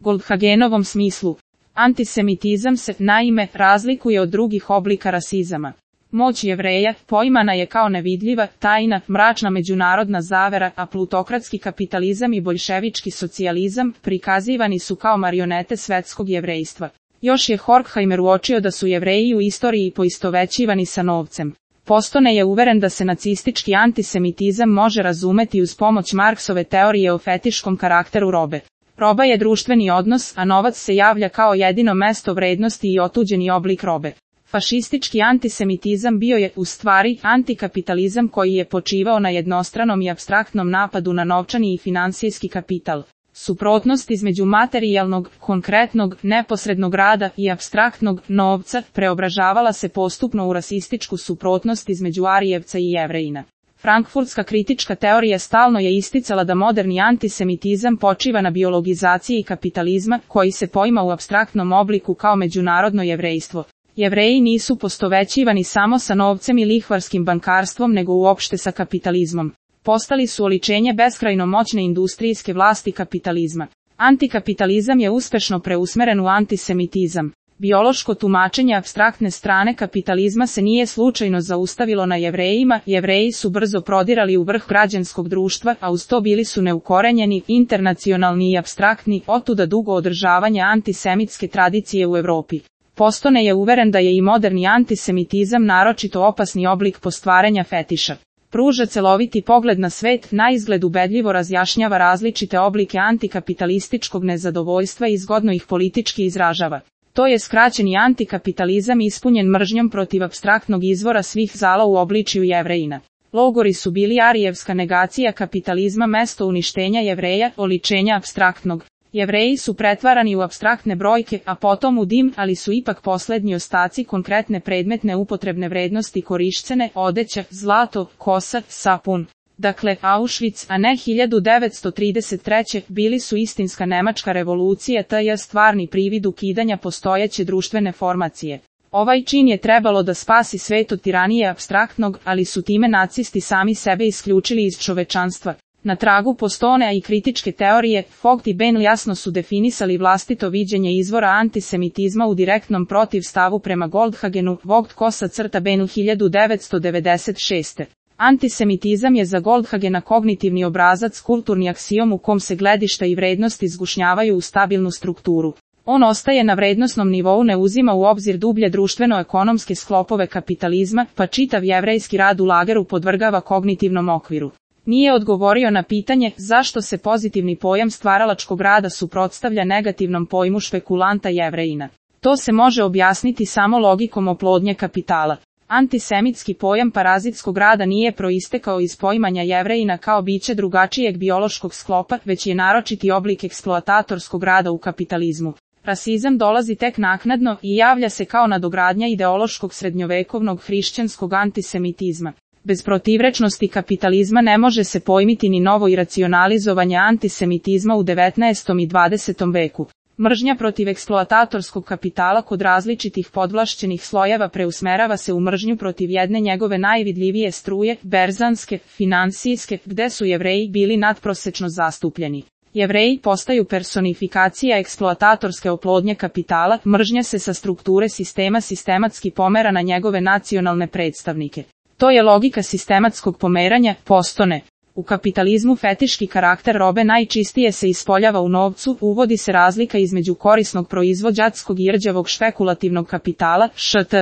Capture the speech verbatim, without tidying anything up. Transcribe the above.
Goldhagenovom smislu. Antisemitizam se, naime, razlikuje od drugih oblika rasizama. Moć Jevreja poimana je kao nevidljiva, tajna, mračna međunarodna zavera, a plutokratski kapitalizam i boljševički socijalizam prikazivani su kao marionete svetskog jevrejstva. Još je Horkheimer uočio da su Jevreji u istoriji poistovećivani sa novcem. Postone je uveren da se nacistički antisemitizam može razumeti uz pomoć Marksove teorije o fetiškom karakteru robe. Roba je društveni odnos, a novac se javlja kao jedino mesto vrednosti i otuđeni oblik robe. Fašistički antisemitizam bio je, u stvari, antikapitalizam koji je počivao na jednostranom i apstraktnom napadu na novčani i finansijski kapital. Suprotnost između materijalnog, konkretnog, neposrednog rada i apstraktnog novca preobražavala se postupno u rasističku suprotnost između Arijevca i Jevrejina. Frankfurtska kritička teorija stalno je isticala da moderni antisemitizam počiva na biologizaciji kapitalizma, koji se poima u apstraktnom obliku kao međunarodno jevrejstvo. Jevreji nisu postovećivani samo sa novcem i lihvarskim bankarstvom nego uopšte sa kapitalizmom. Postali su oličenje beskrajno moćne industrijske vlasti kapitalizma. Antikapitalizam je uspešno preusmeren u antisemitizam. Biološko tumačenje apstraktne strane kapitalizma se nije slučajno zaustavilo na Jevrejima, Jevreji su brzo prodirali u vrh građanskog društva, a uz to bili su neukorenjeni, internacionalni i apstraktni, otuda dugo održavanje antisemitske tradicije u Evropi. Postone je uveren da je i moderni antisemitizam naročito opasni oblik postvaranja fetiša. Pruža celoviti pogled na svet, naizgled ubedljivo razjašnjava različite oblike antikapitalističkog nezadovoljstva i zgodno ih politički izražava. To je skraćeni antikapitalizam ispunjen mržnjom protiv apstraktnog izvora svih zala u obličju Jevrejina. Logori su bili arijevska negacija kapitalizma, mesto uništenja Jevreja, oličenja apstraktnog. Jevreji su pretvarani u apstraktne brojke, a potom u dim, ali su ipak poslednji ostaci konkretne predmetne upotrebne vrednosti korišćene, odeća, zlato, kosa, sapun. Dakle, Auschwitz, a ne hiljadu devetsto trideset treće. bili su istinska nemačka revolucija tj. stvarni privid ukidanja postojeće društvene formacije. Ovaj čin je trebalo da spasi svet od tiranije apstraktnog, ali su time nacisti sami sebe isključili iz čovečanstva. Na tragu Postonea i kritičke teorije, Vogt i Benl jasno su definisali vlastito viđenje izvora antisemitizma u direktnom protivstavu prema Goldhagenu, Vogt kosa crta Benl hiljadu devetsto devedeset šeste. Antisemitizam je za Goldhagena kognitivni obrazac, kulturni aksiom u kom se gledišta i vrednosti zgušnjavaju u stabilnu strukturu. On ostaje na vrednosnom nivou, ne uzima u obzir dublje društveno-ekonomske sklopove kapitalizma, pa čitav jevrejski rad u lageru podvrgava kognitivnom okviru. Nije odgovorio na pitanje zašto se pozitivni pojam stvaralačkog rada suprotstavlja negativnom pojmu špekulanta Jevrejina. To se može objasniti samo logikom oplodnje kapitala. Antisemitski pojam parazitskog rada nije proistekao iz poimanja Jevrejina kao biće drugačijeg biološkog sklopa, već je naročiti oblik eksploatatorskog rada u kapitalizmu. Rasizam dolazi tek naknadno i javlja se kao nadogradnja ideološkog srednjovekovnog hrišćanskog antisemitizma. Bez protivrečnosti kapitalizma ne može se pojmiti ni novo iracionalizovanje antisemitizma u devetnaestom i dvadesetom veku. Mržnja protiv eksploatatorskog kapitala kod različitih podvlašćenih slojeva preusmerava se u mržnju protiv jedne njegove najvidljivije struje, berzanske, finansijske, gde su Jevreji bili nadprosečno zastupljeni. Jevreji postaju personifikacija eksploatatorske oplodnje kapitala, mržnja se sa strukture sistema sistematski pomera na njegove nacionalne predstavnike. To je logika sistematskog pomeranja, Postone. U kapitalizmu fetiški karakter robe najčistije se ispoljava u novcu, uvodi se razlika između korisnog proizvođačkog i rđavog špekulativnog kapitala, št.